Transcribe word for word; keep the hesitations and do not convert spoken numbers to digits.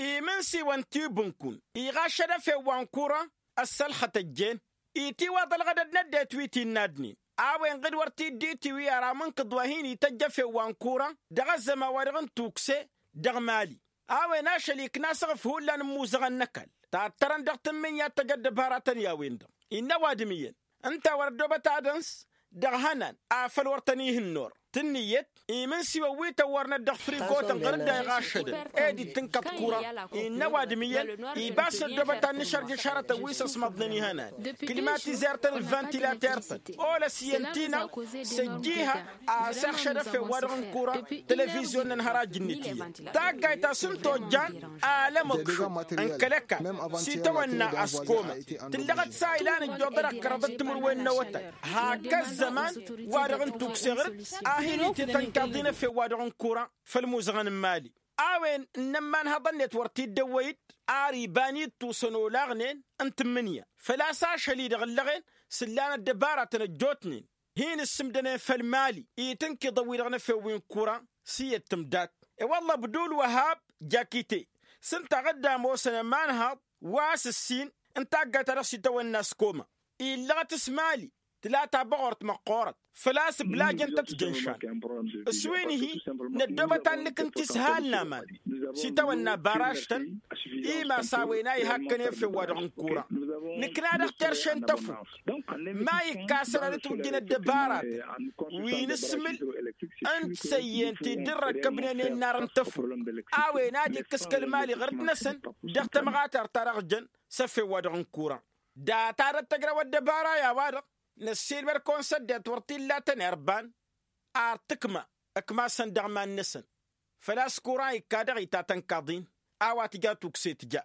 imǝnsiwăn ti bǝnkun iɣaššăd efew wa n-kura. Ăssălxăt ăjjeen itiwaḍ ălɣădăd n-ăddinăt wi t-innă adǝnnin a-wen ɣǝd wăr t-dd-itiwi ara mǝnkǝḍ wa hin-ităjj efew wa n-kura dăɣ-ăzzăman-wa-dăɣ n-tukse dăɣ-mali. A-wen ašăl ikna asăɣǝf hullan n-imuzăɣăn n-ăkall tattărăn dăɣ-tǝmmǝnya ad-tăj ăddăbaratăn i-a-wen-dăɣ innă ăwadǝm iyyăn ǝnta a wăr-ăddoobăt ad-ăns dăɣ-ihănan afăl wăr tăn-ihǝnna or tǝnnǝyăt imǝnsiwăn wi tăwwărnăt dăɣ-frigotăn ɣăr-dd a iɣaššădăn ed ittǝnkăḍ kura. Innă ăwadǝm iyyăn ibas năddoobăt ad-nǝšărjǝš hărătăn wi s-ăsmăḍnen ihănan klimatizer-tăn d-vantilater-tăn olăs iyyăn tinăɣ s-ăjjiha a-s ixšăd efew-wa-dăɣ n-kura. Televizyon-năn hărajǝn-net iyyăn taggayt a-s n-tojjan alămăkšum n-kăl-ăkall s-itawănna askoma tǝllăɣăt s-a ilan ǝjjoḍăr ăkkărăḍ d-timǝrwen n-awătay hak ăzzăman wa-dăɣ n-tukse ɣǝr-dd a hin-ititănkaḍ-in efew-wa-dăɣ n-kura. Făll-imuzăɣăn n-mali a-wen n-ămmanhăḍăn-net wăr t-dd-ăwwăy-dd ar iba n-ittusăn olaɣnen n-tǝmmǝnǝya făl-a-s ašăl-i-dăɣ ǝllăɣen s-ǝllan ăddăbaratăn ăjjootnen hin-ǝssǝmdănen făll-mali itǝnkǝḍăn-wi-dăɣ n-efew wi n-kura. S-iyyăt tǝmdat i-wălla ăbdul wăhab jakite s-ǝnta a ɣǝdda ămoosăn ămanhaḍ wa s-ǝssin n-taggayt ta dăɣ-s itawănna s-koma illăɣăt s-mali tǝla tabăɣort măqqoorăt făl-a-s ǝblajăn-tăt jănšan. S-wi n-hi năddoobăt ad-nǝkǝnti s-ihal n-aman s-itawănna baraž-tăn imas a-wen a ihakkăn i-efew-wa-dăɣ n-kura. Nǝkna dăɣ-terše n-tăfuk ma ikka a-s ănanăt wǝjjǝn ăddăbaratăn wi n-ǝssǝmǝl n-tisăyyen ti dd-ărrăkkăbnen i-ănnar n-tăfuk a-wen ad-ikkǝs kăl-mali ɣǝr-dd-năsăn dăɣ-tămɣatart ta dăɣ-jăn s-efew-wa-dăɣ n-kura. Data dăr-tăjrăw ăddăbara i-a-wa-dăɣ năssiilmăd kăwăn-săddet wăr t-illa tănerban ar tǝkma ǝkmasăn dăɣ-iman-năsăn. Făl-a-s kura ikka dăɣ-itatăn kaḍin a-wa tǝja tukse tǝja.